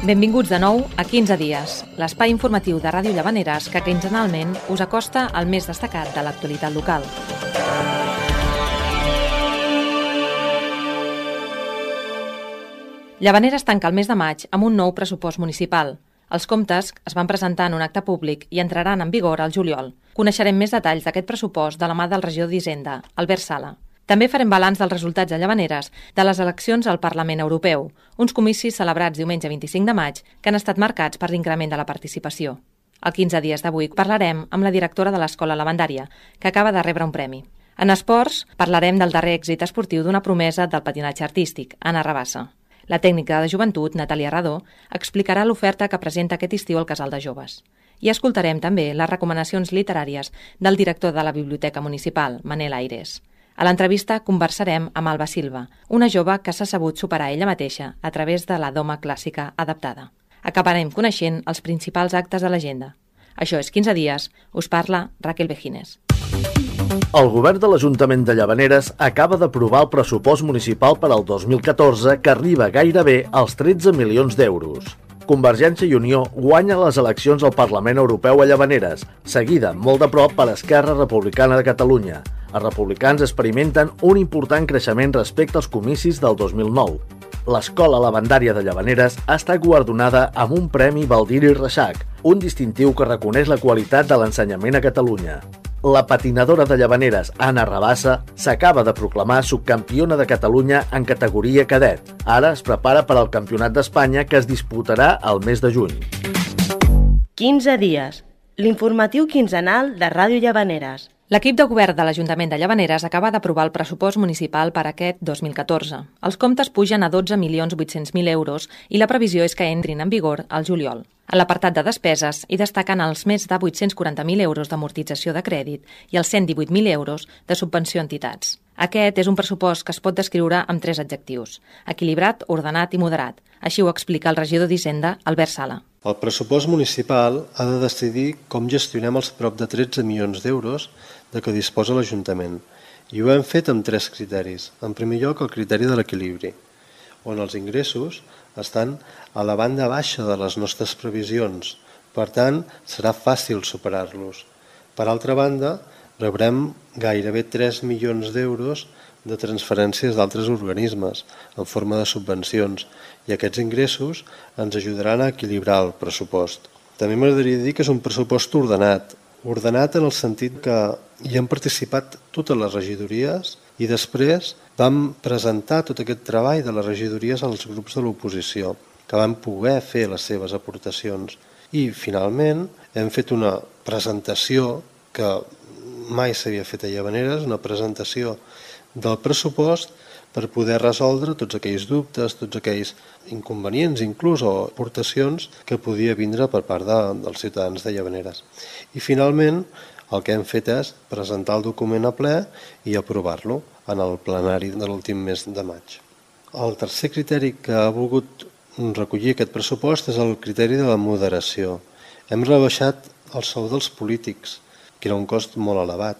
Benvinguts de nou a 15 dies, l'espai informatiu de Ràdio Llavaneres que quinzenalment us acosta al més destacat de l'actualitat local. Llavaneres tanca el mes de maig amb un nou pressupost municipal. Els comptes es van presentar en un acte públic i entraran en vigor al juliol. Coneixerem més detalls d'aquest pressupost de la mà del regidor d'Hisenda, Albert Sala. També farem balanç dels resultats a Llavaneres de les eleccions al Parlament Europeu, uns comicis celebrats diumenge 25 de maig que han estat marcats per l'increment de la participació. Al 15 dies d'avui parlarem amb la directora de l'Escola Lavandària, que acaba de rebre un premi. En esports, parlarem del darrer èxit esportiu d'una promesa del patinatge artístic, Anna Rabassa. La tècnica de joventut, Natàlia Radó, explicarà l'oferta que presenta aquest estiu al Casal de Joves. I escoltarem també les recomanacions literàries del director de la Biblioteca Municipal, Manel Aires. A l'entrevista conversarem amb Alba Silva, una jove que s'ha sabut superar ella mateixa a través de la doma clàssica adaptada. Acabarem coneixent els principals actes de l'agenda. Això és 15 dies, us parla Raquel Vejines. El govern de l'Ajuntament de Llavaneres acaba d'aprovar el pressupost municipal per al 2014 que arriba gairebé als 13 milions d'euros. Convergència i Unió guanya les eleccions al Parlament Europeu a Llavaneres, seguida molt de prop per Esquerra Republicana de Catalunya. Els republicans experimenten un important creixement respecte als comicis del 2009. L'Escola Lavandària de Llavaneres ha estat guardonada amb un Premi Baldiri Reixac, un distintiu que reconeix la qualitat de l'ensenyament a Catalunya. La patinadora de Llavaneres, Anna Rabassa, s'acaba de proclamar subcampiona de Catalunya en categoria cadet. Ara es prepara per al Campionat d'Espanya que es disputarà al mes de juny. 15 dies, l'informatiu quinzenal de Ràdio Llavaneres. L'equip de govern de l'Ajuntament de Llavaneres acaba d'aprovar el pressupost municipal per aquest 2014. Els comptes pugen a 12.800.000 euros i la previsió és que entrin en vigor al juliol. A l'apartat de despeses hi destaquen els més de 840.000 euros d'amortització de crèdit i els 118.000 euros de subvenció a entitats. Aquest és un pressupost que es pot descriure amb 3 adjectius: equilibrat, ordenat i moderat. Així ho explica el regidor d'Hisenda, Albert Sala. El pressupost municipal ha de decidir com gestionem els prop de 13 milions d'euros de què disposa l'Ajuntament. I ho hem fet amb 3 criteris. En primer lloc, el criteri de l'equilibri, on els ingressos estan a la banda baixa de les nostres previsions. Per tant, serà fàcil superar-los. Per altra banda, rebrem gairebé 3 milions d'euros de transferències d'altres organismes en forma de subvencions i aquests ingressos ens ajudaran a equilibrar el pressupost. També m'agradaria dir que és un pressupost ordenat en el sentit que hi han participat totes les regidories i després vam presentar tot aquest treball de les regidories als grups de l'oposició, que van poder fer les seves aportacions. I finalment hem fet una presentació que mai s'havia fet a Llavaneres, una presentació del pressupost per poder resoldre tots aquells dubtes, tots aquells inconvenients, inclús o aportacions que podia vindre per part dels ciutadans de Llavaneres. I finalment el que hem fet és presentar el document a ple i aprovar-lo en el plenari de l'últim mes de maig. El tercer criteri que ha volgut recollir aquest pressupost és el criteri de la moderació. Hem rebaixat el sou dels polítics, que era un cost molt elevat.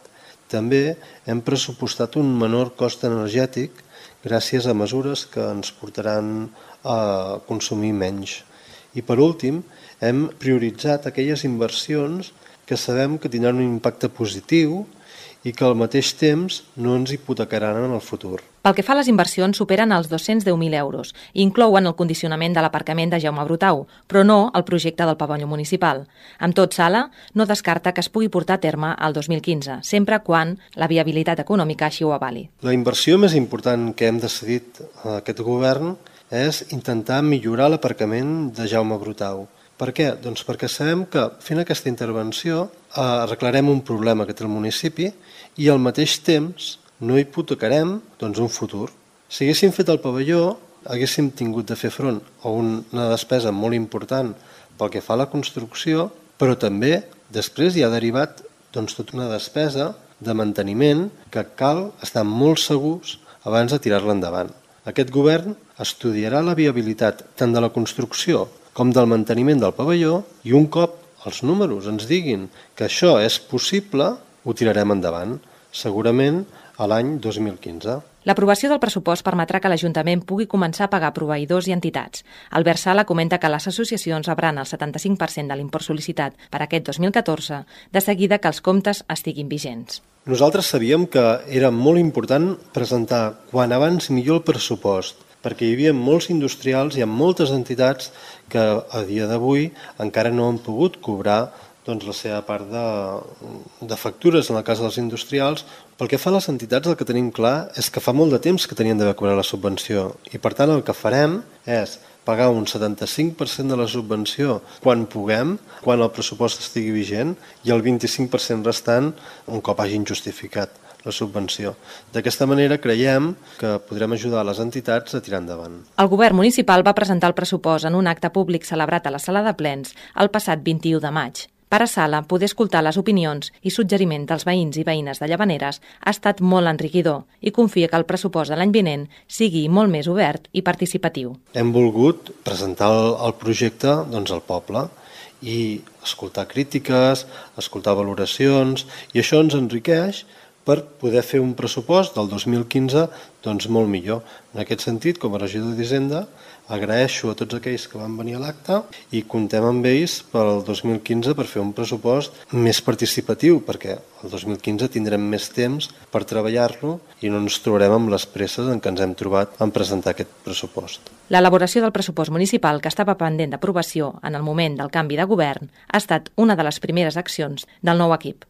També hem pressupostat un menor cost energètic gràcies a mesures que ens portaran a consumir menys. I per últim, hem prioritzat aquelles inversions que sabem que tindran un impacte positiu i que al mateix temps no ens hipotecaran en el futur. Pel que fa a les inversions, superen els 210.000 euros i inclouen el condicionament de l'aparcament de Jaume Brutau, però no el projecte del pavelló municipal. Amb tot, Sala no descarta que es pugui portar a terme al 2015, sempre quan la viabilitat econòmica així ho avali. La inversió més important que hem decidit a aquest govern és intentar millorar l'aparcament de Jaume Brutau. Per què? Doncs perquè sabem que fent aquesta intervenció arreglarem un problema que té el municipi i al mateix temps no hipotecarem un futur. Si haguéssim fet el pavelló, haguéssim tingut de fer front a una despesa molt important pel que fa a la construcció, però també després hi ha derivat tota una despesa de manteniment que cal estar molt segurs abans de tirar-la endavant. Aquest govern estudiarà la viabilitat tant de la construcció com del manteniment del pavelló i un cop els números ens diguin que això és possible, ho tirarem endavant, segurament a l'any 2015. L'aprovació del pressupost permetrà que l'Ajuntament pugui començar a pagar proveïdors i entitats. Albert Sala comenta que les associacions rebran el 75% de l'import sol·licitat per aquest 2014, de seguida que els comptes estiguin vigents. Nosaltres sabíem que era molt important presentar quan abans millor el pressupost, perquè hi havia molts industrials i moltes entitats que a dia d'avui encara no han pogut cobrar la seva part de factures en el cas dels industrials. Pel que fa a les entitats, el que tenim clar és que fa molt de temps que tenien d'haver cobrat la subvenció i per tant el que farem és pagar un 75% de la subvenció quan puguem, quan el pressupost estigui vigent, i el 25% restant un cop hagin justificat la subvenció. D'aquesta manera creiem que podrem ajudar les entitats a tirar endavant. El govern municipal va presentar el pressupost en un acte públic celebrat a la sala de plens el passat 21 de maig. Per a Sala, poder escoltar les opinions i suggeriments dels veïns i veïnes de Llavaneres ha estat molt enriquidor i confia que el pressupost de l'any vinent sigui molt més obert i participatiu. Hem volgut presentar el projecte al poble i escoltar crítiques, escoltar valoracions, i això ens enriqueix per poder fer un pressupost del 2015 molt millor. En aquest sentit, com a regidor d'Hisenda, agraeixo a tots aquells que van venir a l'acte i comptem amb ells pel 2015 per fer un pressupost més participatiu, perquè el 2015 tindrem més temps per treballar-lo i no ens trobarem amb les presses en què ens hem trobat en presentar aquest pressupost. L'elaboració del pressupost municipal, que estava pendent d'aprovació en el moment del canvi de govern, ha estat una de les primeres accions del nou equip.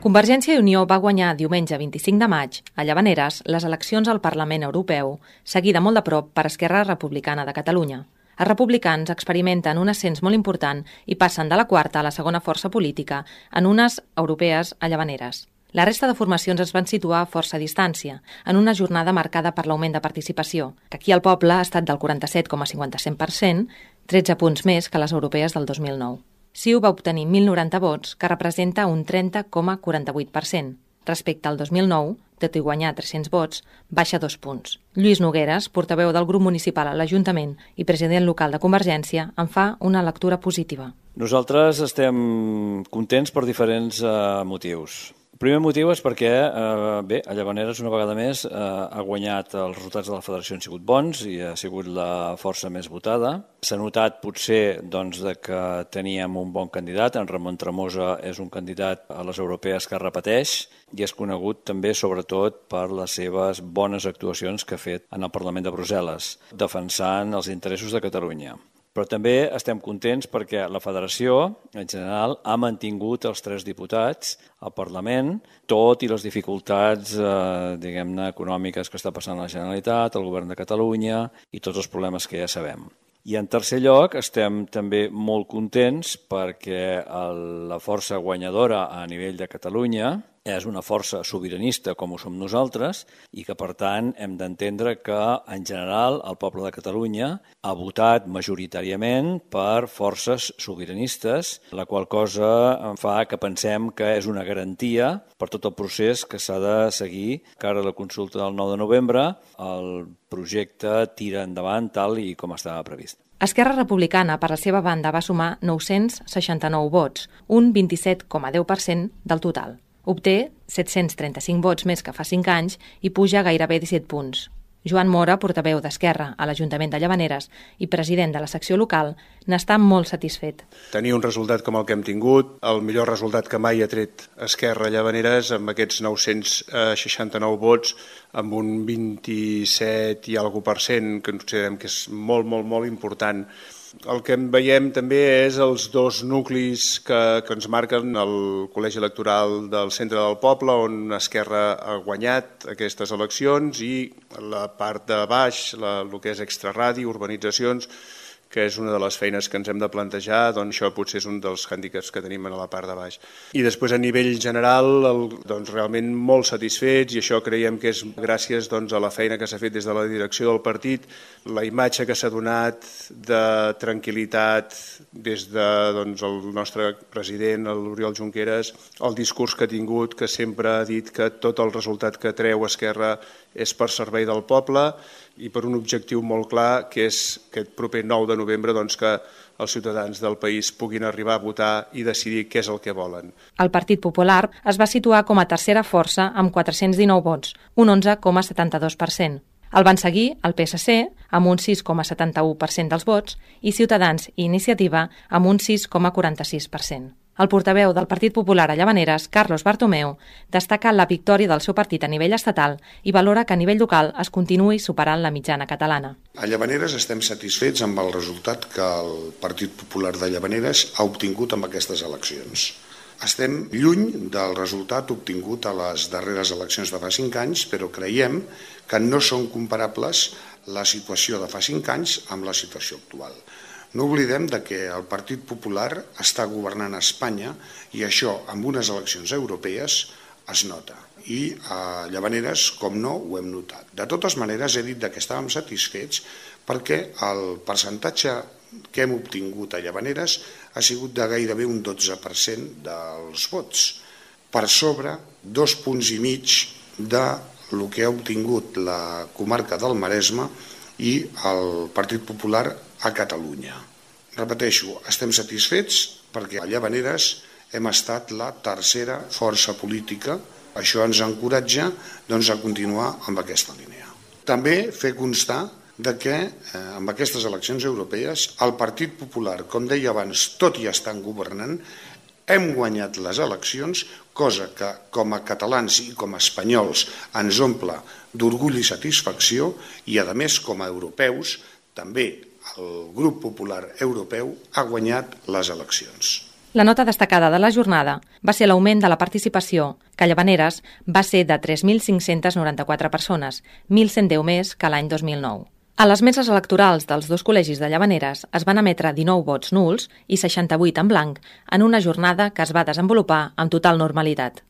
Convergència i Unió va guanyar diumenge 25 de maig a Llavaneres les eleccions al Parlament Europeu, seguida molt de prop per Esquerra Republicana de Catalunya. Els republicans experimenten un ascens molt important i passen de la quarta a la segona força política en unes europees a Llavaneres. La resta de formacions es van situar a força distància, en una jornada marcada per l'augment de participació, que aquí al poble ha estat del 47,57%, 13 punts més que les europees del 2009. CiU va obtenir 1.090 vots, que representa un 30,48%. Respecte al 2009, tot i guanyar 300 vots, baixa 2 punts. Lluís Nogueres, portaveu del grup municipal a l'Ajuntament i president local de Convergència, en fa una lectura positiva. Nosaltres estem contents per diferents motius. El primer motiu és perquè, a Llavaneres una vegada més ha guanyat, els resultats de la federació han sigut bons i ha sigut la força més votada. S'ha notat potser que teníem un bon candidat, en Ramon Tremosa és un candidat a les europees que repeteix i és conegut també sobretot per les seves bones actuacions que ha fet en el Parlament de Brussel·les, defensant els interessos de Catalunya. Però també estem contents perquè la federació, en general, ha mantingut els 3 diputats al Parlament, tot i les dificultats econòmiques que està passant la Generalitat, el Govern de Catalunya i tots els problemes que ja sabem. I en tercer lloc, estem també molt contents perquè la força guanyadora a nivell de Catalunya és una força sobiranista com ho som nosaltres i que, per tant, hem d'entendre que, en general, el poble de Catalunya ha votat majoritàriament per forces sobiranistes, la qual cosa fa que pensem que és una garantia per tot el procés que s'ha de seguir. Que ara la consulta del 9 de novembre el projecte tira endavant tal i com estava previst. Esquerra Republicana, per la seva banda, va sumar 969 vots, un 27,10% del total. Obté 735 vots més que fa 5 anys i puja gairebé 17 punts. Joan Mora, portaveu d'Esquerra a l'Ajuntament de Llavaneres i president de la secció local, n'està molt satisfet. Tenir un resultat com el que hem tingut, el millor resultat que mai ha tret Esquerra a Llavaneres, amb aquests 969 vots, amb un 27 i alguna % que considerem que és molt, molt, molt important. El que veiem també és els 2 nuclis que ens marquen el col·legi electoral del centre del poble, on Esquerra ha guanyat aquestes eleccions, i la part de baix, el que és extraradi, urbanitzacions, que és una de les feines que ens hem de plantejar, doncs això potser és un dels hàndicaps que tenim a la part de baix. I després a nivell general, realment molt satisfets, i això creiem que és gràcies a la feina que s'ha fet des de la direcció del partit, la imatge que s'ha donat de tranquil·litat des del nostre president, l'Oriol Junqueras, el discurs que ha tingut, que sempre ha dit que tot el resultat que treu Esquerra és per servei del poble i per un objectiu molt clar, que és aquest proper 9 de novembre que els ciutadans del país puguin arribar a votar i decidir què és el que volen. El Partit Popular es va situar com a tercera força amb 419 vots, un 11,72%. El van seguir el PSC amb un 6,71% dels vots i Ciutadans i Iniciativa amb un 6,46%. El portaveu del Partit Popular a Llavaneres, Carlos Bartomeu, destaca la victòria del seu partit a nivell estatal i valora que a nivell local es continuï superant la mitjana catalana. A Llavaneres estem satisfets amb el resultat que el Partit Popular de Llavaneres ha obtingut amb aquestes eleccions. Estem lluny del resultat obtingut a les darreres eleccions de fa 5 anys, però creiem que no són comparables la situació de fa 5 anys amb la situació actual. No oblidem que el Partit Popular està governant a Espanya i això, amb unes eleccions europees, es nota. I a Llavaneres, com no, ho hem notat. De totes maneres, he dit que estàvem satisfets perquè el percentatge que hem obtingut a Llavaneres ha sigut de gairebé un 12% dels vots, per sobre 2,5 punts del que ha obtingut la comarca del Maresme i el Partit Popular a Catalunya. Repeteixo, estem satisfets perquè a Llavaneres hem estat la tercera força política. Això ens encoratja a continuar amb aquesta línia. També fer constar que amb aquestes eleccions europees el Partit Popular, com deia abans, tot i estant governant, hem guanyat les eleccions, cosa que com a catalans i com a espanyols ens omple d'orgull i satisfacció i, a més, com a europeus, també el grup popular europeu ha guanyat les eleccions. La nota destacada de la jornada va ser l'augment de la participació, que a Llavaneres va ser de 3.594 persones, 1.110 més que l'any 2009. A les meses electorals dels dos col·legis de Llavaneres es van emetre 19 vots nuls i 68 en blanc en una jornada que es va desenvolupar amb total normalitat.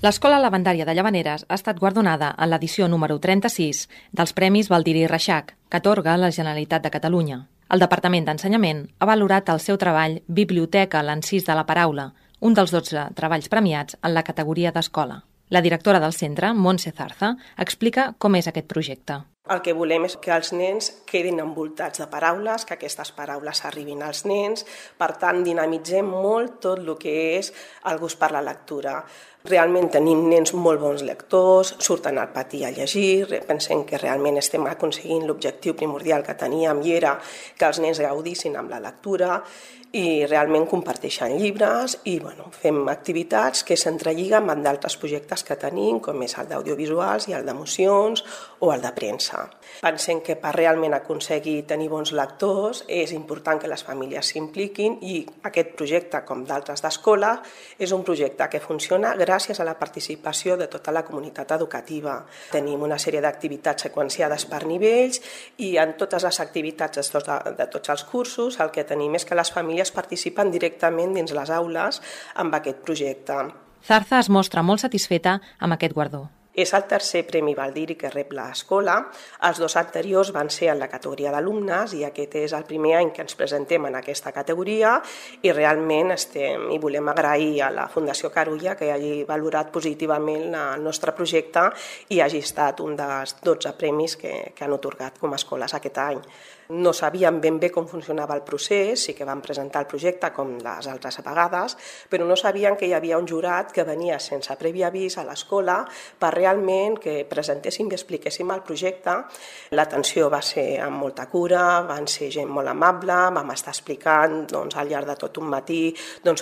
L'Escola Lavandària de Llavaneres ha estat guardonada en l'edició número 36 dels Premis Baldiri Reixac, que atorga la Generalitat de Catalunya. El Departament d'Ensenyament ha valorat el seu treball Biblioteca l'encís de la paraula, un dels 12 treballs premiats en la categoria d'escola. La directora del centre, Montse Zarza, explica com és aquest projecte. El que volem és que els nens quedin envoltats de paraules, que aquestes paraules arribin als nens. Per tant, dinamitzem molt tot el que és el gust per la lectura. Realment tenim nens molt bons lectors, surten al pati a llegir, pensem que realment estem aconseguint l'objectiu primordial que teníem i era que els nens gaudissin amb la lectura i realment comparteixen llibres i fem activitats que s'entrelliguen amb d'altres projectes que tenim, com és el d'audiovisuals i el d'emocions o el de premsa. Pensem que per realment aconseguir tenir bons lectors és important que les famílies s'impliquin i aquest projecte, com d'altres d'escola, és un projecte que funciona gràcies a la participació de tota la comunitat educativa. Tenim una sèrie d'activitats seqüenciades per nivells i en totes les activitats de tots els cursos el que tenim és que les famílies participen directament dins les aules amb aquest projecte. Zarza es mostra molt satisfeta amb aquest guardó. És el tercer Premi Baldiri que rep l'escola. Els dos anteriors van ser en la categoria d'alumnes i aquest és el primer any que ens presentem en aquesta categoria i realment volem agrair a la Fundació Carulla que hagi valorat positivament el nostre projecte i hagi estat un dels 12 premis que han atorgat com a escoles aquest any. No sabíem ben bé com funcionava el procés, sí que vam presentar el projecte com les altres vegades, però no sabíem que hi havia un jurat que venia sense previ avís a l'escola per realment que presentéssim i expliquéssim el projecte. L'atenció va ser amb molta cura, van ser gent molt amable, vam estar explicant al llarg de tot un matí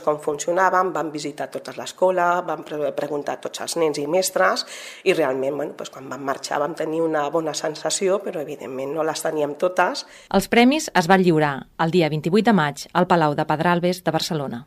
com funcionàvem, vam visitar tota l'escola, vam preguntar a tots els nens i mestres i realment quan vam marxar vam tenir una bona sensació, però evidentment no les teníem totes. Els premis es van lliurar el dia 28 de maig al Palau de Pedralbes de Barcelona.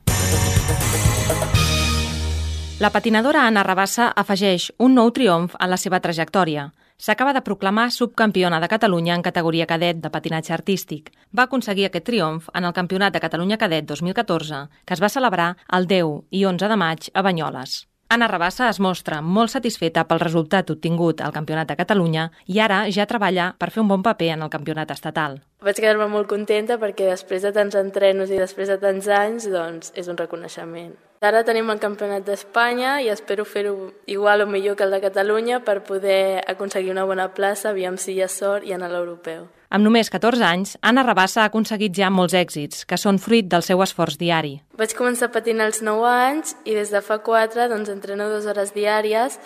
La patinadora Anna Rabassa afegeix un nou triomf en la seva trajectòria. S'acaba de proclamar subcampiona de Catalunya en categoria cadet de patinatge artístic. Va aconseguir aquest triomf en el Campionat de Catalunya Cadet 2014, que es va celebrar el 10 i 11 de maig a Banyoles. Anna Rabassa es mostra molt satisfeta pel resultat obtingut al Campionat de Catalunya i ara ja treballa per fer un bon paper en el campionat estatal. Vaig quedar-me molt contenta perquè després de tants entrenos i després de tants anys és un reconeixement. Ara tenim el Campionat d'Espanya i espero fer-ho igual o millor que el de Catalunya per poder aconseguir una bona plaça, aviam si hi ha sort i anar a l'europeu. Amb només 14 anys, Anna Rabassa ha aconseguit ja molts èxits, que són fruit del seu esforç diari. Vaig començar a patinar als 9 anys i des de fa 4 entreno 2 hores diàries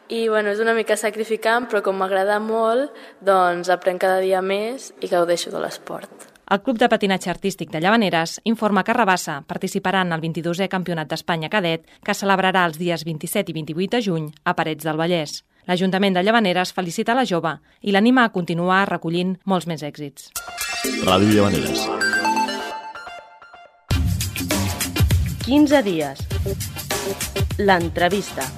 i és una mica sacrificant, però com m'agrada molt, aprenc cada dia més i gaudeixo de l'esport. El Club de Patinatge Artístic de Llavaneres informa que Rabassa participarà en el 22è Campionat d'Espanya Cadet, que es celebrarà els dies 27 i 28 de juny a Parets del Vallès. L'Ajuntament de Llavaneres felicita la jove i l'anima a continuar recollint molts més èxits. Ràdio Llavaneres. 15 dies. L'entrevista.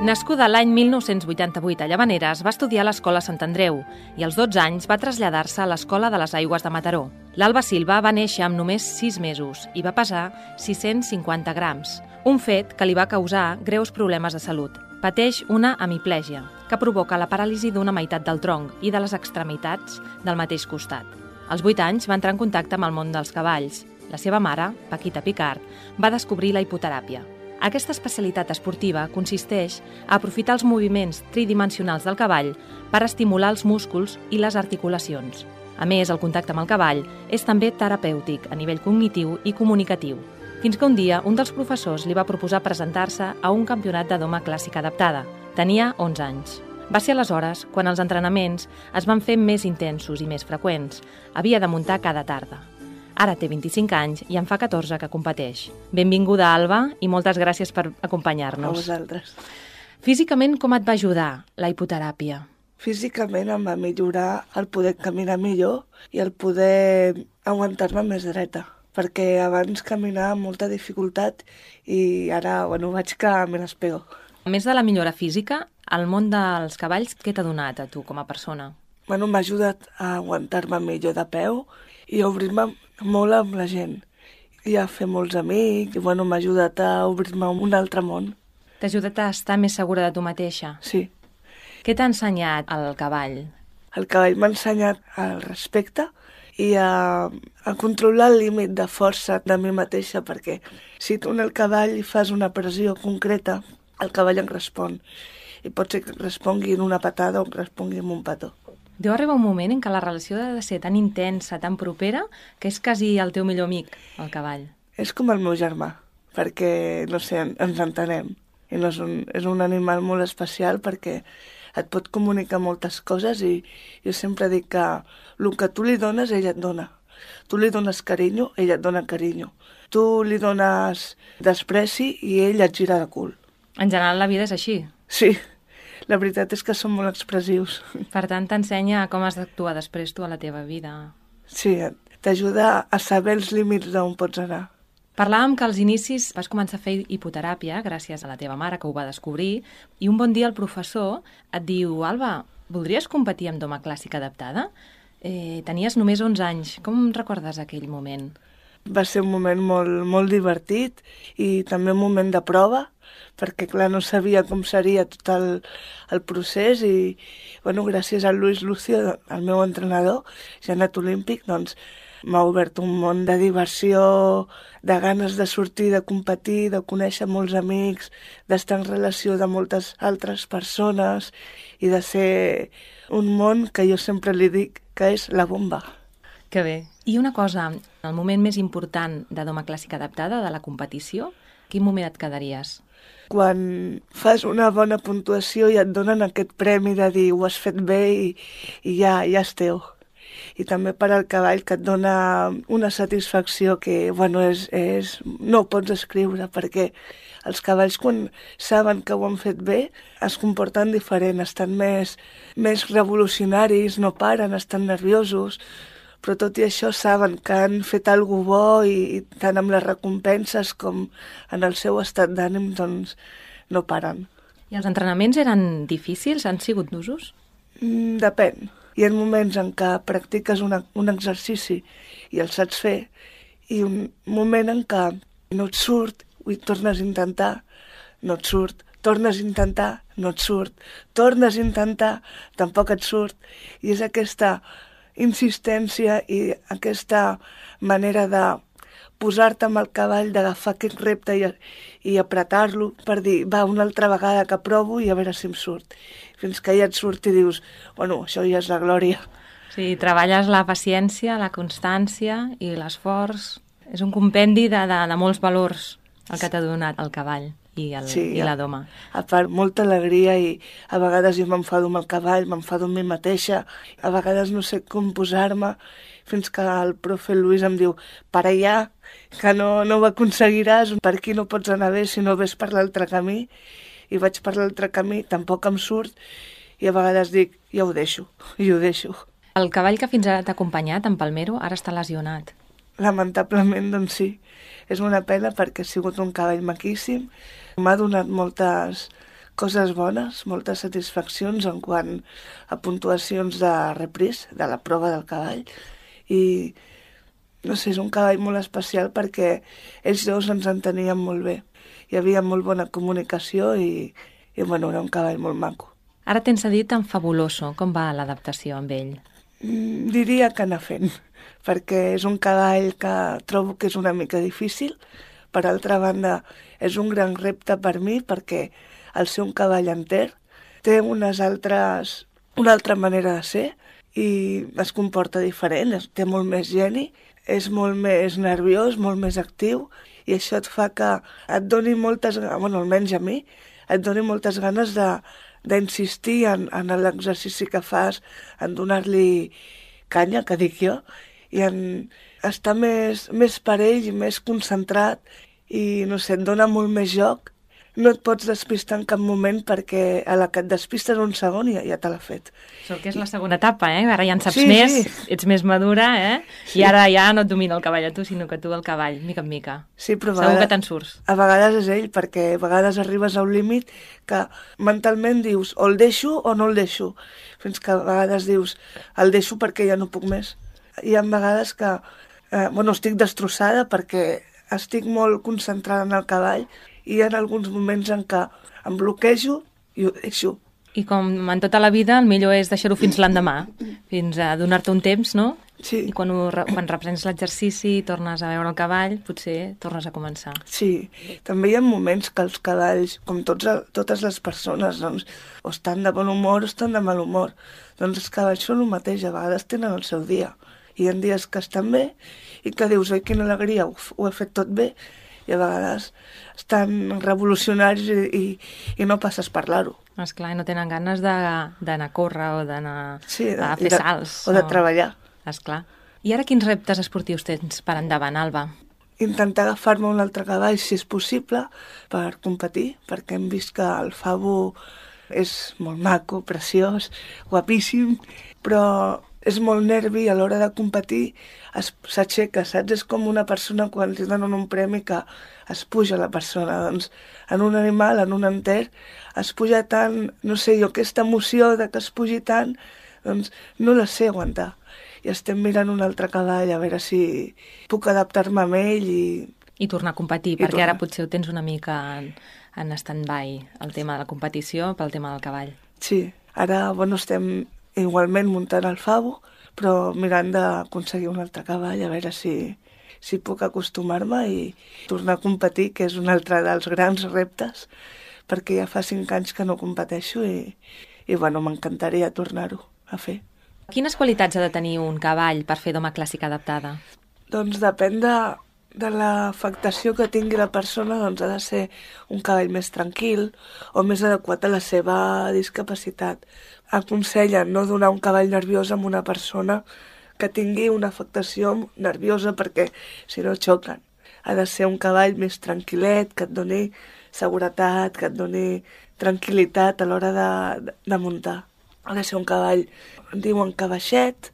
Nascuda l'any 1988 a Llavaneres, va estudiar a l'Escola Sant Andreu i als 12 anys va traslladar-se a l'Escola de les Aigües de Mataró. L'Alba Silva va néixer amb només 6 mesos i va pesar 650 grams, un fet que li va causar greus problemes de salut. Pateix una hemiplègia, que provoca la paràlisi d'una meitat del tronc i de les extremitats del mateix costat. Als 8 anys va entrar en contacte amb el món dels cavalls. La seva mare, Paquita Picard, va descobrir la hipoteràpia. Aquesta especialitat esportiva consisteix a aprofitar els moviments tridimensionals del cavall per estimular els músculs i les articulacions. A més, el contacte amb el cavall és també terapèutic a nivell cognitiu i comunicatiu. Fins que un dia un dels professors li va proposar presentar-se a un campionat de doma clàssica adaptada. Tenia 11 anys. Va ser aleshores quan els entrenaments es van fer més intensos i més freqüents. Havia de muntar cada tarda. Ara té 25 anys i en fa 14 que competeix. Benvinguda, Alba, i moltes gràcies per acompanyar-nos. A vosaltres. Físicament, com et va ajudar la hipoteràpia? Físicament em va millorar el poder caminar millor i el poder aguantar-me més dreta, perquè abans caminava amb molta dificultat i ara vaig que me les pego. A més de la millora física, el món dels cavalls, què t'ha donat a tu com a persona? M'ha ajudat a aguantar-me millor de peu i a obrir-me molt amb la gent i a fer molts amics i m'ha ajudat a obrir-me a un altre món. T'ha ajudat a estar més segura de tu mateixa? Sí. Què t'ha ensenyat el cavall? El cavall m'ha ensenyat el respecte i a controlar el límit de força de mi mateixa, perquè si tu en el cavall fas una pressió concreta, el cavall en respon. I pot ser que respongui en una patada o que respongui en un petó. Deu arribar un moment en què la relació ha de ser tan intensa, tan propera, que és quasi el teu millor amic, el cavall. És com el meu germà, perquè, ens entenem. I és un animal molt especial perquè et pot comunicar moltes coses i jo sempre dic que el que tu li dones, ella et dona. Tu li dones carinyo, ella et dona carinyo. Tu li dones despreci i ell et gira de cul. En general la vida és així. Sí. La veritat és que són molt expressius. Per tant, t'ensenya com has d'actuar després tu a la teva vida. Sí, t'ajuda a saber els límits d'on pots anar. Parlàvem que als inicis vas començar a fer hipoteràpia gràcies a la teva mare, que ho va descobrir, i un bon dia el professor et diu: Alba, voldries competir amb doma clàssica adaptada? Tenies només 11 anys. Com recordes aquell moment? Va ser un moment molt, molt divertit i també un moment de prova, perquè, clar, no sabia com seria tot el procés i, gràcies a Luis Lucio, el meu entrenador, ja anat olímpic, m'ha obert un món de diversió, de ganes de sortir, de competir, de conèixer molts amics, d'estar en relació de moltes altres persones i de ser un món que jo sempre li dic que és la bomba. Que bé. I una cosa, el moment més important de doma clàssica adaptada, de la competició, quin moment et quedaries? Quan fas una bona puntuació i et donen aquest premi de dir ho has fet bé i ja és teu. I també per al cavall, que et dona una satisfacció que, no ho pots escriure, perquè els cavalls, quan saben que ho han fet bé, es comporten diferent, estan més revolucionaris, no paren, estan nerviosos, però tot i això saben que han fet alguna cosa bo i tant amb les recompenses com en el seu estat d'ànim, no paren. I els entrenaments eren difícils? Han sigut d'usos? Depèn. Hi ha moments en què practiques un exercici i el saps fer i un moment en què no et surt i tornes a intentar, no et surt, tornes a intentar, no et surt, tornes a intentar, tampoc et surt. I és aquesta insistència i aquesta manera de posar-te amb el cavall, d'agafar aquest repte i apretar-lo per dir, va, una altra vegada que provo i a veure si em surt. Fins que ja et surt i dius, bueno, això ja és la glòria. Sí, treballes la paciència, la constància i l'esforç. És un compendi de molts valors el que t'ha donat el cavall i la doma. A part, molta alegria i a vegades jo m'enfado amb el cavall, m'enfado amb mi mateixa, a vegades no sé com posar-me, fins que el profe Luis em diu, para allà, que no ho aconseguiràs, per aquí no pots anar bé si no ves per l'altre camí, i vaig per l'altre camí, tampoc em surt, i a vegades dic, ja ho deixo, i ho deixo. El cavall que fins ara t'ha acompanyat, en Palmero, ara està lesionat. Lamentablement, doncs sí. És una pena perquè ha sigut un cavall maquíssim. M'ha donat moltes coses bones, moltes satisfaccions en quant a puntuacions de repris, de la prova del cavall. I, no sé, és un cavall molt especial perquè ells dos ens enteníem molt bé. Hi havia molt bona comunicació i bueno, era un cavall molt maco. Ara tens dit en Fabuloso. Com va l'adaptació amb ell? Diria que anar fent, perquè és un cavall que trobo que és una mica difícil. Per altra banda, és un gran repte per mi, perquè al ser un cavall enter té una altra manera de ser i es comporta diferent, té molt més geni, és molt més nerviós, molt més actiu, i això et fa que et doni moltes, bueno, almenys a mi, et doni moltes ganes d'insistir en l'exercici que fas, en donar-li canya, que dic jo, i en estar més per ell i més concentrat i, no sé, et dona molt més joc. No et pots despistar en cap moment perquè a la que et despistes un segon ja te l'ha fet. Això que és la segona etapa, eh? Ara ja en saps més, ets més madura, eh? Sí. I ara ja no et domina el cavall a tu, sinó que tu el cavall, mica en mica. Sí, però segur que te'n surts. A vegades és ell, perquè a vegades arribes a un límit que mentalment dius o el deixo o no el deixo. Fins que a vegades dius el deixo perquè ja no puc més. Hi ha vegades que estic destrossada perquè estic molt concentrada en el cavall i hi ha alguns moments en què em bloquejo i ho deixo. I com en tota la vida, el millor és deixar-ho fins l'endemà, fins a donar-te un temps, no? Sí. I quan reprens l'exercici i tornes a veure el cavall, potser tornes a començar. Sí, també hi ha moments que els cavalls, com totes les persones, doncs, o estan de bon humor o estan de mal humor. Doncs els cavalls són el mateix, a vegades tenen el seu dia. Hi ha dies que estan bé i que dius, oi, quina alegria, ho he fet tot bé, i a vegades estan revolucionaris i no passes per parlar-ho. Esclar, no tenen ganes d'anar a córrer o d'anar a fer salts. O de treballar. Esclar. I ara quins reptes esportius tens per endavant, Alba? Intentar agafar-me un altre cavall, si és possible, per competir, perquè hem vist que el Fabu és molt maco, preciós, guapíssim, però és molt nervi a l'hora de competir, s'aixeca, saps? És com una persona quan li donen un premi que es puja la persona. Doncs en un animal, en un enter, es puja tant, no sé jo, aquesta emoció de que es pugi tant, doncs no la sé aguantar. I estem mirant un altre cavall a veure si puc adaptar-me a ell i tornar a competir, perquè ara potser ho tens una mica en stand-by, el tema de la competició pel tema del cavall. Sí, ara estem igualment muntant el Fabu, però mirant d'aconseguir un altre cavall, a veure si puc acostumar-me i tornar a competir, que és un altre dels grans reptes, perquè ja fa 5 anys que no competeixo i m'encantaria tornar-ho a fer. Quines qualitats ha de tenir un cavall per fer doma clàssica adaptada? Doncs depèn de l'afectació que tingui la persona, doncs ha de ser un cavall més tranquil o més adequat a la seva discapacitat. Aconsellen no donar un cavall nerviós amb una persona que tingui una afectació nerviosa perquè si no xoquen. Ha de ser un cavall més tranquil·let, que et doni seguretat, que et doni tranquil·litat a l'hora de muntar. Ha de ser un cavall, diuen que baixet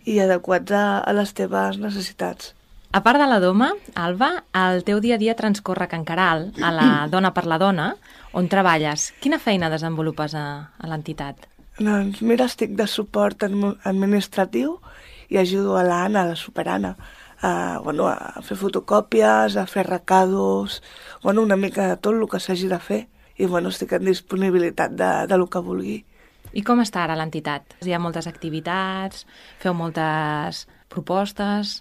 i adequat a les teves necessitats. A part de la doma, Alba, el teu dia a dia transcorre a Can Caral, a la Dona per la Dona, on treballes. Quina feina desenvolupes a l'entitat? Doncs mira, estic de suport administratiu i ajudo a l'Anna, a la superAnna, a fer fotocòpies, a fer recados, una mica de tot el que s'hagi de fer. I estic en disponibilitat de lo que vulgui. I com està ara l'entitat? Hi ha moltes activitats, feu moltes propostes?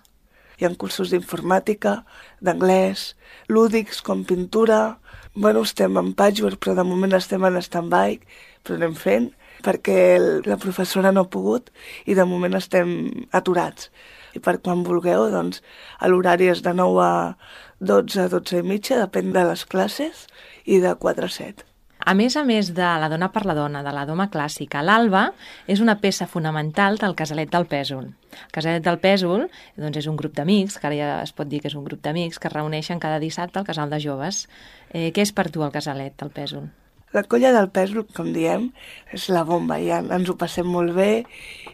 Hi ha cursos d'informàtica, d'anglès, lúdics com pintura. Bueno, estem en patchwork, però de moment estem en stand-by, però anem fent, perquè la professora no ha pogut i de moment estem aturats. I per quan vulgueu, doncs, l'horari és de 9 a 12, 12 i mitja, depèn de les classes, i de 4 a 7. A més de La dona per la dona, de la doma clàssica, l'Alba és una peça fonamental del Casalet del Pèsol. El Casalet del Pèsol doncs, és un grup d'amics, que ara ja es pot dir que és un grup d'amics, que es reuneixen cada dissabte al Casal de Joves. Què és per tu el Casalet del Pèsol? La colla del Pèsol, com diem, és la bomba, ja ens ho passem molt bé,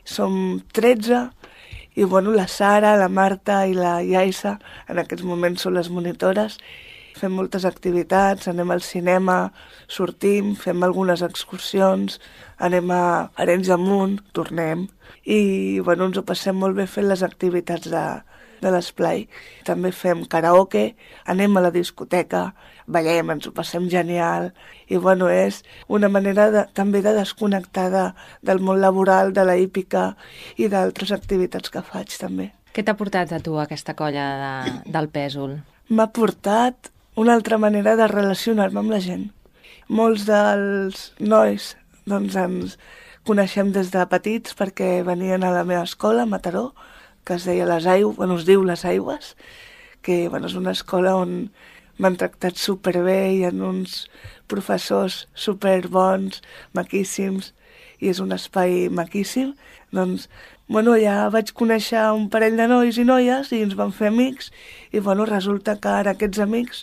som 13, i bueno, la Sara, la Marta i la Yaisa, en aquests moments són les monitores. Fem moltes activitats, anem al cinema, sortim, fem algunes excursions, anem a Arenys de Munt, tornem. I bueno, ens ho passem molt bé fent les activitats de l'esplai. També fem karaoke, anem a la discoteca, ballem, ens ho passem genial. I bueno, és una manera també de desconnectar del món laboral, de la hípica i d'altres activitats que faig també. Què t'ha portat a tu aquesta colla del Pèsol? M'ha portat una altra manera de relacionar-me amb la gent. Molts dels nois doncs, ens coneixem des de petits perquè venien a la meva escola, a Mataró, que es deia es diu Les Aigües, que bueno, és una escola on m'han tractat superbé, hi ha uns professors superbons, maquíssims, i és un espai maquíssim. Doncs, bueno, ja vaig conèixer un parell de nois i noies i ens vam fer amics i bueno, resulta que ara aquests amics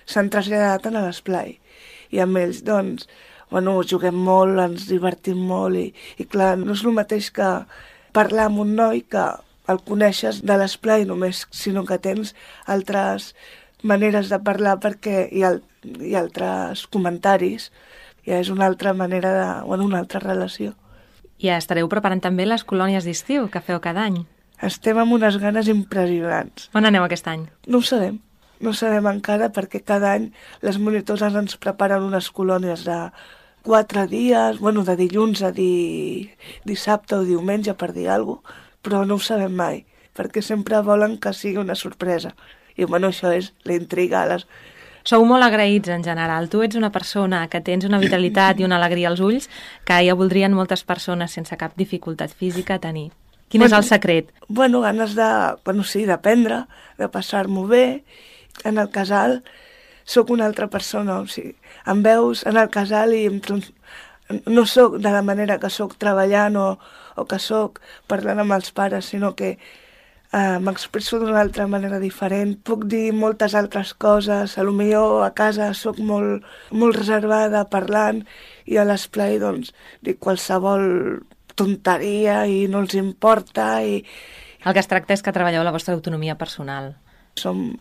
s'han traslladat a l'esplai. I amb ells, doncs, bueno, juguem molt, ens divertim molt i clar, no és el mateix que parlar amb un noi que el coneixes de l'esplai només, sinó que tens altres maneres de parlar perquè hi ha altres comentaris, ja és una altra manera una altra relació. I estareu preparant també les colònies d'estiu que feu cada any. Estem amb unes ganes impressionants. On aneu aquest any? No ho sabem. No ho sabem encara perquè cada any les monitores ens preparen unes colònies de 4 dies, de dilluns a dissabte o diumenge, per dir alguna cosa, però no ho sabem mai, perquè sempre volen que sigui una sorpresa. I això és la intriga. Sou molt agraïts en general. Tu ets una persona que tens una vitalitat i una alegria als ulls que ja voldrien moltes persones sense cap dificultat física tenir. Quin és el secret? Ganes d'aprendre, de passar-m'ho bé. En el casal sóc una altra persona, o sigui, em veus en el casal i no sóc de la manera que sóc treballant o que sóc parlant amb els pares, sinó que m'expresso d'una altra manera diferent. Puc dir moltes altres coses, potser a casa sóc molt reservada parlant i a l'esplai doncs dic qualsevol tonteria i no els importa. El que es tracta és que treballeu la vostra autonomia personal. Som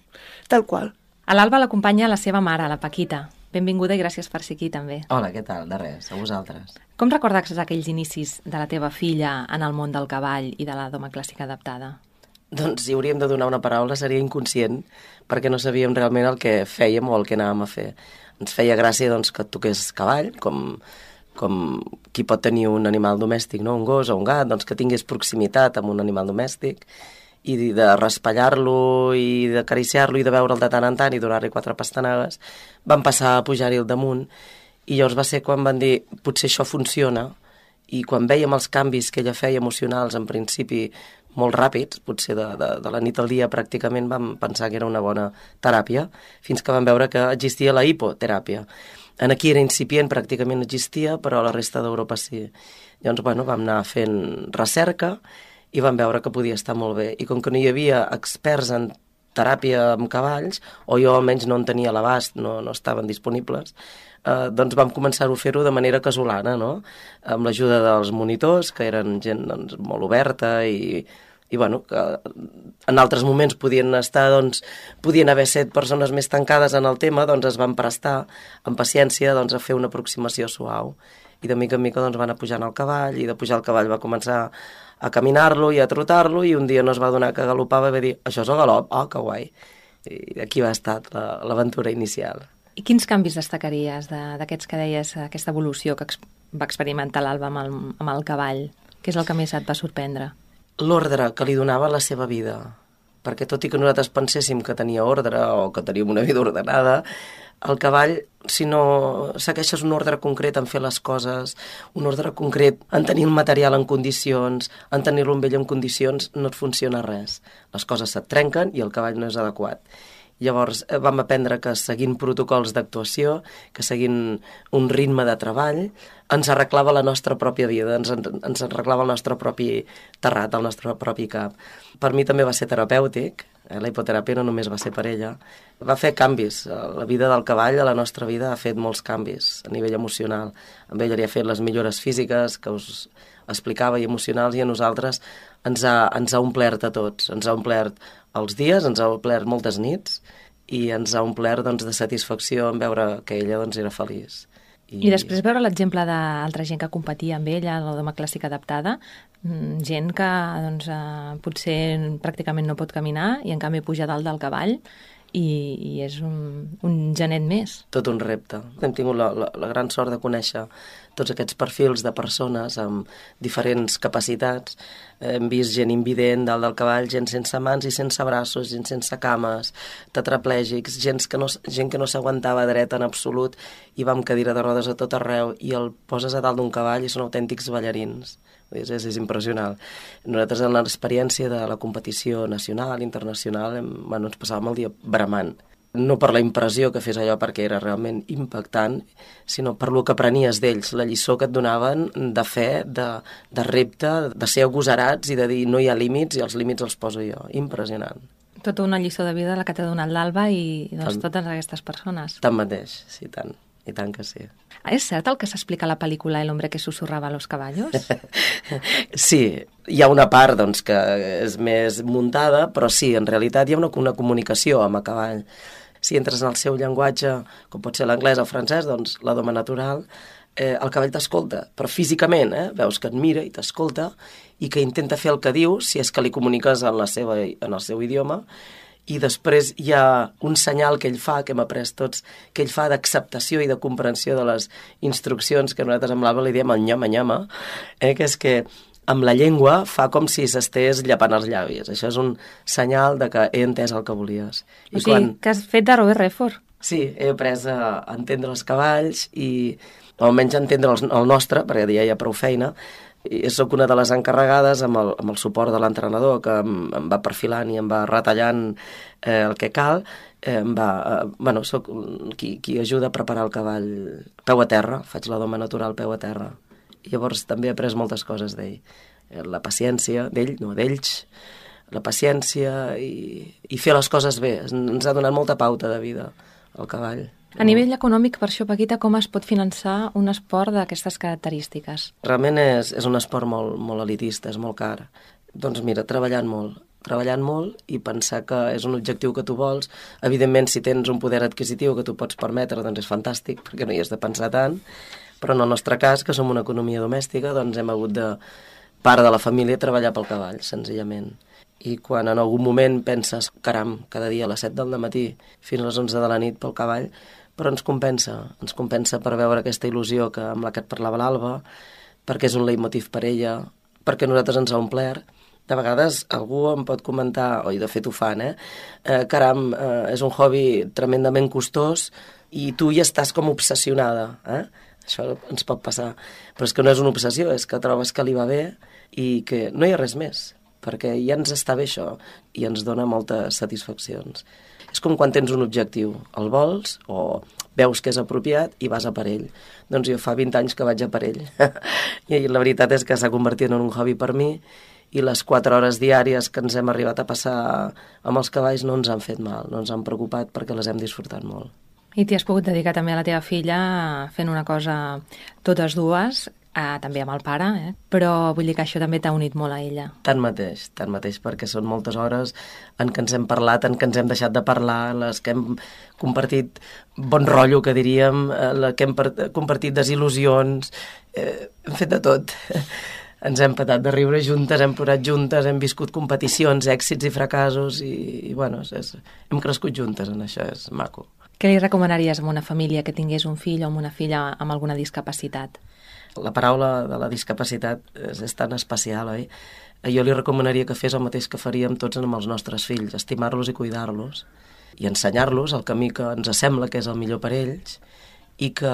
tal qual. A l'Alba l'acompanya la seva mare, la Paquita. Benvinguda i gràcies per ser aquí també. Hola, què tal? De res, a vosaltres. Com recordes aquells inicis de la teva filla en el món del cavall i de la doma clàssica adaptada? Doncs si hauríem de donar una paraula seria inconscient, perquè no sabíem realment el que fèiem o el que anàvem a fer. Ens feia gràcia doncs, que toqués cavall, com qui pot tenir un animal domèstic, no? Un gos o un gat, doncs que tingués proximitat amb un animal domèstic, i de raspallar-lo i d'acariciar-lo i de veure'l de tant en tant i donar-li 4 pastanagues, van passar a pujar-hi al damunt i llavors va ser quan van dir potser això funciona, i quan vèiem els canvis que ella feia emocionals en principi molt ràpids, potser de la nit al dia pràcticament vam pensar que era una bona teràpia, fins que vam veure que existia la hipoteràpia. Aquí era incipient, pràcticament no existia, però a la resta d'Europa sí. Llavors, vam anar fent recerca i vam veure que podia estar molt bé. I com que no hi havia experts en teràpia amb cavalls, o jo almenys no en tenia l'abast, no estaven disponibles, doncs vam començar-ho a fer-ho de manera casolana, no? Amb l'ajuda dels monitors, que eren gent doncs, molt oberta i que en altres moments podien haver set persones més tancades en el tema, doncs es van prestar amb paciència a fer una aproximació suau. I de mica en mica van anar pujant al cavall, i de pujar al cavall va començar a caminar-lo i a trotar-lo, i un dia no es va donar que galopava i va dir, això és el galop, oh, que guai. I aquí va estar l'aventura inicial. I quins canvis destacaries d'aquests que deies, aquesta evolució que va experimentar l'Alba amb el cavall? Què és el que més et va sorprendre? L'ordre que li donava la seva vida. perquè tot i que nosaltres penséssim que tenia ordre o que teníem una vida ordenada, el cavall, si no segueixes un ordre concret en fer les coses, un ordre concret en tenir el material en condicions, en tenir-lo amb ell en condicions, no et funciona res. Les coses se't trenquen i el cavall no és adequat. Llavors vam aprendre que seguint protocols d'actuació, que seguint un ritme de treball, ens arreglava la nostra pròpia vida, ens arreglava el nostre propi terrat, el nostre propi cap. Per mi també va ser terapèutic, la hipoteràpia no només va ser per ella, va fer canvis. La vida del cavall a la nostra vida ha fet molts canvis a nivell emocional. Amb ell li ha fet les millores físiques que us explicava i emocionals, i a nosaltres ens ha omplert a tots, ens ha omplert els dies, ens ha omplert moltes nits i ens ha omplert de satisfacció en veure que ella era feliç. I després veure l'exemple d'altra gent que competia amb ella, la doma clàssica adaptada, gent que potser pràcticament no pot caminar i en canvi puja dalt del cavall i és un genet més. Tot un repte. Hem tingut la gran sort de conèixer tots aquests perfils de persones amb diferents capacitats. Hem vist gent invident dalt del cavall, gent sense mans i sense braços, gent sense cames, tetraplègics, gent que no s'aguantava dreta en absolut i va amb cadira de rodes a tot arreu i el poses a dalt d'un cavall i són autèntics ballarins. És impressionant. Nosaltres en l'experiència de la competició nacional, internacional, ens passàvem el dia bramant. No per la impressió que fes allò perquè era realment impactant, sinó per lo que aprenies d'ells, la lliçó que et donaven de fe, de repte, de ser agosarats i de dir no hi ha límits i els límits els poso jo. Impressionant. Tota una lliçó de vida la que t'ha donat l'Alba i totes aquestes persones. Tanmateix, sí, tant. I tant que sí. És cert el que s'explica a la pel·lícula El hombre que susurraba a los caballos? Sí, hi ha una part que és més muntada, però sí, en realitat hi ha una comunicació amb el cavall. Si entres en el seu llenguatge, com pot ser l'anglès o el francès, doncs la doma natural, el cavall t'escolta, però físicament, veus que et mira i t'escolta i que intenta fer el que diu, si és que li comuniques en el seu idioma, i després hi ha un senyal que ell fa, que hem après tots, que ell fa d'acceptació i de comprensió de les instruccions que nosaltres amb l'Alba li diem el nyama-nyama, que és que amb la llengua fa com si s'estés llepant els llavis. Això és un senyal de que he entès el que volies. O sigui, que has fet de Robert Redford. Sí, he après a entendre els cavalls i almenys a entendre el nostre, perquè ja hi ha prou feina. I soc una de les encarregades amb el suport de l'entrenador que em va perfilant i em va retallant el que cal. Soc qui ajuda a preparar el cavall peu a terra, faig la doma natural peu a terra. I llavors també he après moltes coses d'ell. La paciència, d'ells, la paciència i fer les coses bé. Ens ha donat molta pauta de vida el cavall. A nivell econòmic, per això, Paquita, com es pot finançar un esport d'aquestes característiques? Realment és un esport molt elitista, és molt car. Doncs mira, treballant molt i pensar que és un objectiu que tu vols. Evidentment, si tens un poder adquisitiu que tu pots permetre, doncs és fantàstic, perquè no hi has de pensar tant. Però en el nostre cas, que som una economia domèstica, doncs hem hagut de, part de la família, treballar pel cavall, senzillament. I quan en algun moment penses, caram, cada dia a les 7 del matí fins a les 11 de la nit pel cavall, però ens compensa per veure aquesta il·lusió amb la que et parlava l'Alba, perquè és un leitmotiv per ella, perquè nosaltres ens ha omplert. De vegades algú em pot comentar, i de fet ho fan, caram, és un hobby tremendament costós i tu hi estàs com obsessionada, Això ens pot passar. Però és que no és una obsessió, és que trobes que li va bé i que no hi ha res més, perquè ja ens està bé això i ens dona moltes satisfaccions. És com quan tens un objectiu, el vols o veus que és apropiat i vas a per ell. Doncs jo fa 20 anys que vaig a per ell. I la veritat és que s'ha convertit en un hobby per mi i les 4 hores diàries que ens hem arribat a passar amb els cavalls no ens han fet mal, no ens han preocupat perquè les hem disfrutat molt. I t'hi has pogut dedicar també a la teva filla fent una cosa totes dues, també amb el pare, però vull dir que això també t'ha unit molt a ella. Tanmateix, perquè són moltes hores en què ens hem parlat, en què ens hem deixat de parlar, en les que hem compartit bon rotllo, que diríem, en les que hem compartit desil·lusions, hem fet de tot. Ens hem patat de riure juntes, hem plorat juntes, hem viscut competicions, èxits i fracassos i bueno, hem crescut juntes en això, és maco. Què li recomanaries a una família que tingués un fill o una filla amb alguna discapacitat? La paraula de la discapacitat és tan especial, oi? Jo li recomanaria que fes el mateix que faríem tots amb els nostres fills, estimar-los i cuidar-los, i ensenyar-los el camí que ens sembla que és el millor per ells, i que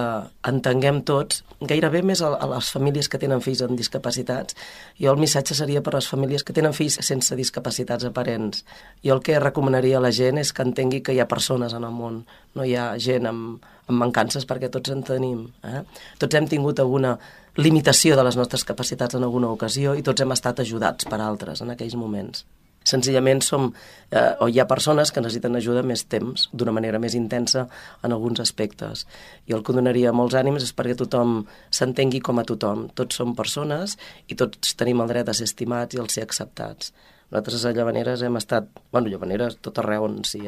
entenguem tots, gairebé més a les famílies que tenen fills amb discapacitats. Jo el missatge seria per a les famílies que tenen fills sense discapacitats aparents. Jo el que recomanaria a la gent és que entengui que hi ha persones en el món, no hi ha gent amb mancances, perquè tots en tenim. Tots hem tingut alguna limitació de les nostres capacitats en alguna ocasió i tots hem estat ajudats per altres en aquells moments. Senzillament o hi ha persones que necessiten ajuda més temps, d'una manera més intensa en alguns aspectes. I el que donaria molts ànims és perquè tothom s'entengui com a tothom. Tots som persones i tots tenim el dret a ser estimats i a ser acceptats. Nosaltres a Llavaneres hem estat, Llavaneres tot arreu on sí,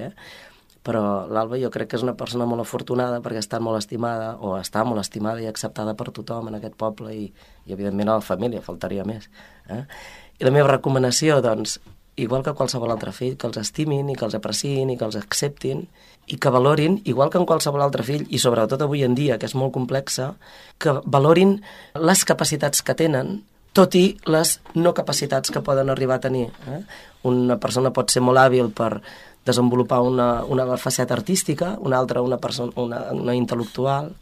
però l'Alba jo crec que és una persona molt afortunada perquè està molt estimada, o està molt estimada i acceptada per tothom en aquest poble i evidentment a la família, faltaria més. I la meva recomanació, doncs, igual que qualsevol altre fill, que els estimin i que els apreciïn i que els acceptin i que valorin, igual que en qualsevol altre fill, i sobretot avui en dia, que és molt complexa, que valorin les capacitats que tenen, tot i les no capacitats que poden arribar a tenir. Una persona pot ser molt hàbil per desenvolupar una faceta artística, una altra una intel·lectual.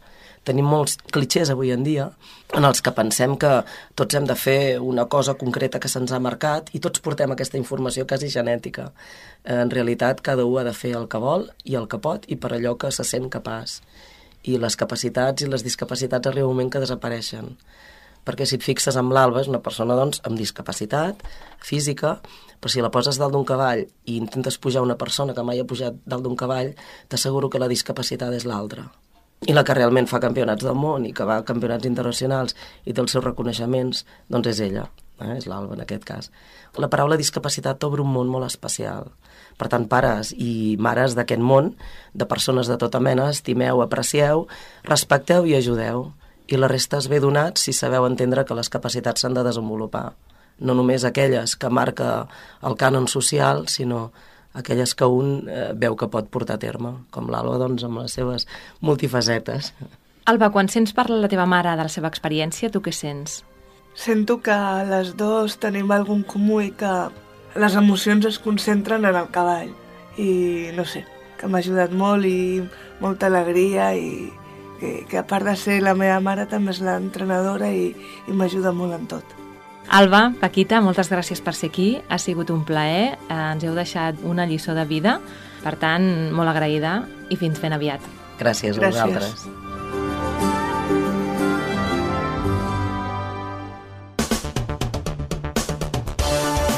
Tenim molts clitxers avui en dia en els que pensem que tots hem de fer una cosa concreta que se'ns ha marcat i tots portem aquesta informació quasi genètica. En realitat, cada un ha de fer el que vol i el que pot i per allò que se sent capaç. I les capacitats i les discapacitats arriba un moment que desapareixen. Perquè si et fixes amb l'Alba, és una persona doncs, amb discapacitat física, però si la poses dalt d'un cavall i intentes pujar una persona que mai ha pujat dalt d'un cavall, t'asseguro que la discapacitat és l'altra. I la que realment fa campionats del món i que va a campionats internacionals i té els seus reconeixements, doncs és ella, és l'Alba en aquest cas. La paraula discapacitat obre un món molt especial. Per tant, pares i mares d'aquest món, de persones de tota mena, estimeu, aprecieu, respecteu i ajudeu. I la resta es ve donat si sabeu entendre que les capacitats s'han de desenvolupar. No només aquelles que marca el cànon social, sinó aquelles que un veu que pot portar a terme, com l'Alba, doncs, amb les seves multifacetes. Alba, quan sents parlar la teva mare de la seva experiència, tu què sents? Sento que les dues tenim algun comú i que les emocions es concentren en el cavall. I no sé, que m'ha ajudat molt i molta alegria i que a part de ser la meva mare també és l'entrenadora i m'ajuda molt en tot. Alba, Paquita, moltes gràcies per ser aquí. Ha sigut un plaer. Ens heu deixat una lliçó de vida. Per tant, molt agraïda i fins ben aviat. Gràcies a vosaltres.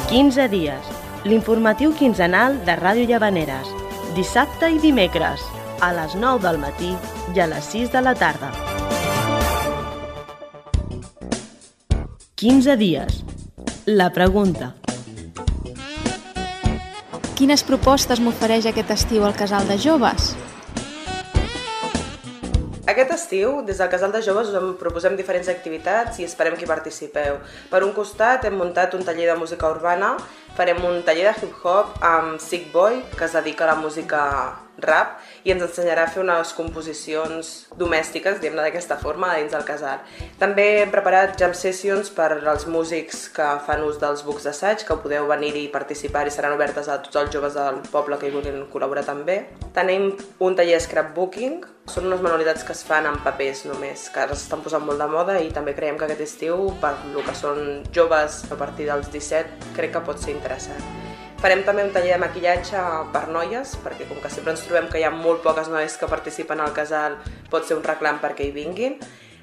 15 dies. L'informatiu quinzenal de Ràdio Llavaneres. Dissabte i dimecres, a les 9 del matí i a les 6 de la tarda. 15 dies. La pregunta. Quines propostes m'ofereix aquest estiu al Casal de Joves? Aquest estiu, des del Casal de Joves, us proposem diferents activitats i esperem que hi participeu. Per un costat, hem muntat un taller de música urbana, farem un taller de hip-hop amb Sick Boy, que es dedica a la música rap, i ens ensenyarà a fer unes composicions domèstiques, diguem-ne d'aquesta forma, dins del casal. També hem preparat jam sessions per als músics que fan ús dels bucs d'assaig, que podeu venir-hi i participar i seran obertes a tots els joves del poble que hi vulguin col·laborar també. Tenim un taller de scrapbooking, són unes manualitats que es fan en papers només, que ara s'estan posant molt de moda i també creiem que aquest estiu, per lo que són joves a partir dels 17, crec que pot ser interessant. Farem també un taller de maquillatge per noies, perquè com que sempre ens trobem que hi ha molt poques noies que participen al casal, pot ser un reclam perquè hi vinguin.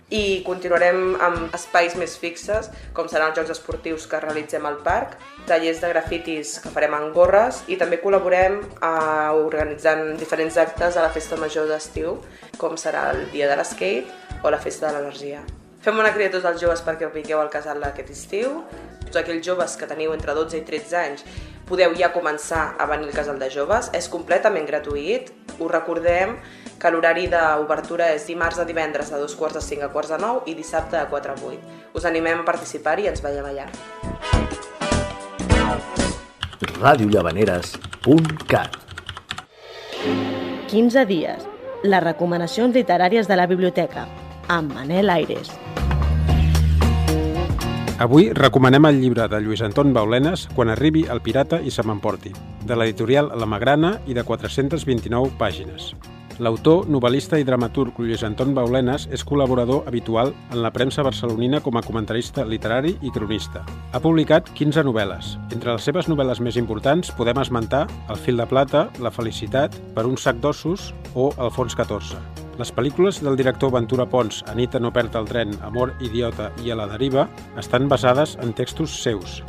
I continuarem amb espais més fixes, com seran els jocs esportius que realitzem al parc, tallers de grafitis que farem en gorres i també col·laborem organitzant diferents actes a la festa major d'estiu, com serà el dia de l'skate o la festa de l'energia. Fem una crida a tots els joves perquè vingueu al casal aquest estiu. Tots aquells joves que teniu entre 12 i 13 anys podeu ja començar a venir al Casal de Joves, és completament gratuït. Us recordem que l'horari d'obertura és dimarts a divendres de 2:45 a 8:45 i dissabte de 4 a 8. Us animem a participar-hi i ens veiem allà. radiollavaneres.cat 15 dies. les recomanacions literàries de la biblioteca, amb Manel Aires. Avui recomanem el llibre de Lluís Anton Baulenas, Quan arribi el pirata i se m'emporti, de l'editorial La Magrana i de 429 pàgines. L'autor, novel·lista i dramaturg Lluís Anton Baulenas és col·laborador habitual en la premsa barcelonina com a comentarista literari i cronista. Ha publicat 15 novel·les. Entre les seves novel·les més importants podem esmentar El fil de plata, La felicitat, Per un sac d'ossos o El fons 14. Les pel·lícules del director Ventura Pons, Anita no perd el tren, Amor idiota i A la deriva, estan basades en textos seus.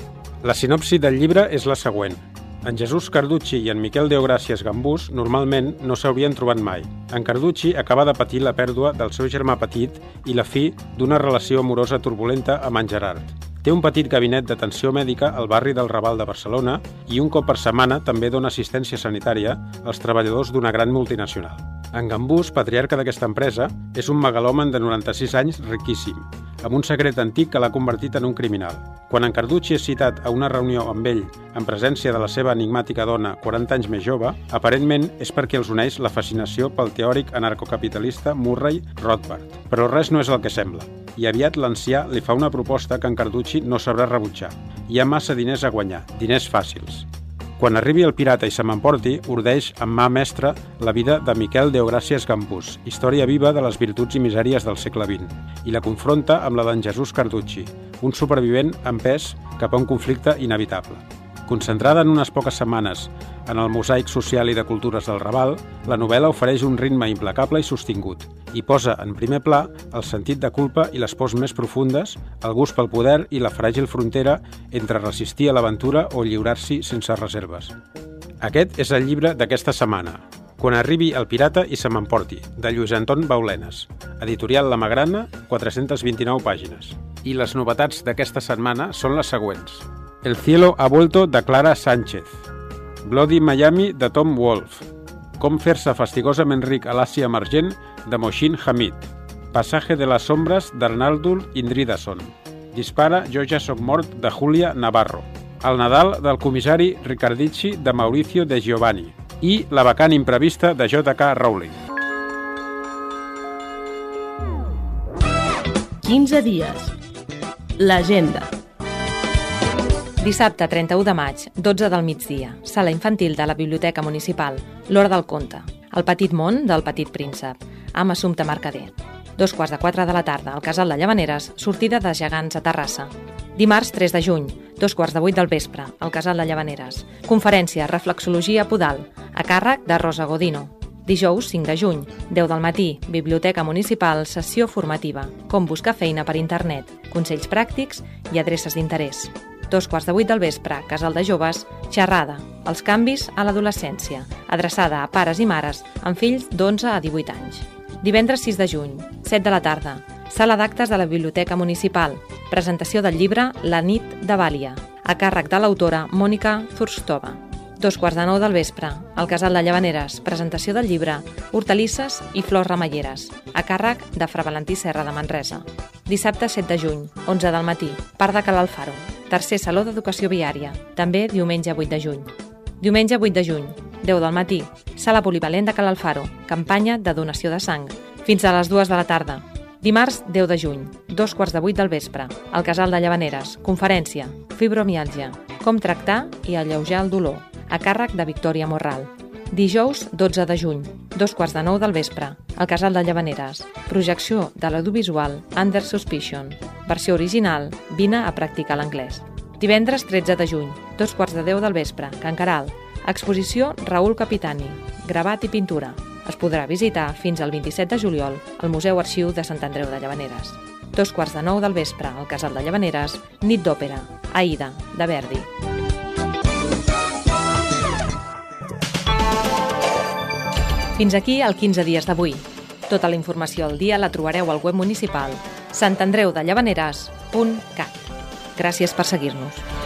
La sinopsi del llibre és la següent. En Jesús Carducci i en Miquel Deogràcies Gambús normalment no s'haurien trobat mai. En Carducci acaba de patir la pèrdua del seu germà petit i la fi d'una relació amorosa turbulenta amb en Gerard. Té un petit gabinet d'atenció mèdica al barri del Raval de Barcelona i un cop per setmana també dona assistència sanitària als treballadors d'una gran multinacional. En Gambús, patriarca d'aquesta empresa, és un megalòman de 96 anys riquíssim, amb un secret antic que l'ha convertit en un criminal. Quan en Carducci és citat a una reunió amb ell en presència de la seva enigmàtica dona 40 anys més jove, aparentment és perquè els uneix la fascinació pel teòric anarcocapitalista Murray Rothbard. Però res no és el que sembla, i aviat l'ancià li fa una proposta que en Carducci no sabrà rebutjar. Hi ha massa diners a guanyar, diners fàcils. Quan arribi el pirata i se m'emporti, ordeix amb mà mestra la vida de Miquel Deogràcies Gambús, història viva de les virtuts i misèries del segle XX, i la confronta amb la d'en Jesús Carducci, un supervivent empès cap a un conflicte inevitable. Concentrada en unes poques setmanes en el mosaic social i de cultures del Raval, la novel·la ofereix un ritme implacable i sostingut i posa en primer pla el sentit de culpa i les pors més profundes, el gust pel poder i la fràgil frontera entre resistir a l'aventura o lliurar-s'hi sense reserves. Aquest és el llibre d'aquesta setmana, Quan arribi el pirata i se m'emporti, de Lluís Anton Baulenas, editorial La Magrana, 429 pàgines. I les novetats d'aquesta setmana són les següents. El cielo ha vuelto, de Clara Sánchez. Bloody Miami, de Tom Wolfe. Com fer-se fastigosament ric a l'Àsia emergent, de Mohsin Hamid. Passatge de les ombres, d'Arnaldur Indridason. Dispara, jo ja soc mort, de Julia Navarro. El Nadal del comissari Riccardici, de Mauricio de Giovanni. I La vacant imprevista, de J.K. Rowling. 15 dies. L'agenda. Dissabte 31 de maig, 12 del migdia, sala infantil de la Biblioteca Municipal, l'Hora del Conte, El petit món del petit príncep, amb Assumpta Mercader. 3:45 de la tarda, al Casal de Llavaneres, sortida de Gegants a Terrassa. Dimarts 3 de juny, 2:15 del vespre, al Casal de Llavaneres. Conferència Reflexologia Podal, a càrrec de Rosa Godino. Dijous 5 de juny, 10 del matí, Biblioteca Municipal, sessió formativa, com buscar feina per internet, consells pràctics i adreces d'interès. 2:15 del vespre, Casal de Joves, xerrada, els canvis a l'adolescència, adreçada a pares i mares amb fills d'11 a 18 anys. Divendres 6 de juny, 7 de la tarda, sala d'actes de la Biblioteca Municipal, presentació del llibre La nit de Vàlia, a càrrec de l'autora Mònica Zurstova. 2:15 del vespre, al Casal de Llavaneres, presentació del llibre Hortalisses i flors remeieres, a càrrec de Fra Valentí Serra de Manresa. Dissabte 7 de juny, 11 del matí, Parc de Cal Alfaro, tercer Saló d'Educació Viària, també diumenge 8 de juny. Diumenge 8 de juny, 10 del matí, Sala Polivalent de Cal Alfaro, campanya de donació de sang, fins a les 2 de la tarda. Dimarts 10 de juny, 2:15 del vespre, al Casal de Llavaneres, conferència, fibromiàlgia, com tractar i alleujar el dolor, a càrrec de Victòria Morral. Dijous 12 de juny, 2:15 del vespre, al Casal de Llavaneres, projecció de l'audiovisual Under Suspicion, versió original, vine a practicar l'anglès. Divendres 13 de juny, 2:15 del vespre, Can Caral, exposició Raül Capitani, gravat i pintura. Es podrà visitar fins al 27 de juliol al Museu Arxiu de Sant Andreu de Llavaneres. 2:15 del vespre, al Casal de Llavaneres, nit d'òpera, Aida, de Verdi. Fins aquí el 15 dies d'avui. Tota la informació al dia la trobareu al web municipal santandreudellavaneres.cat. Gràcies per seguir-nos.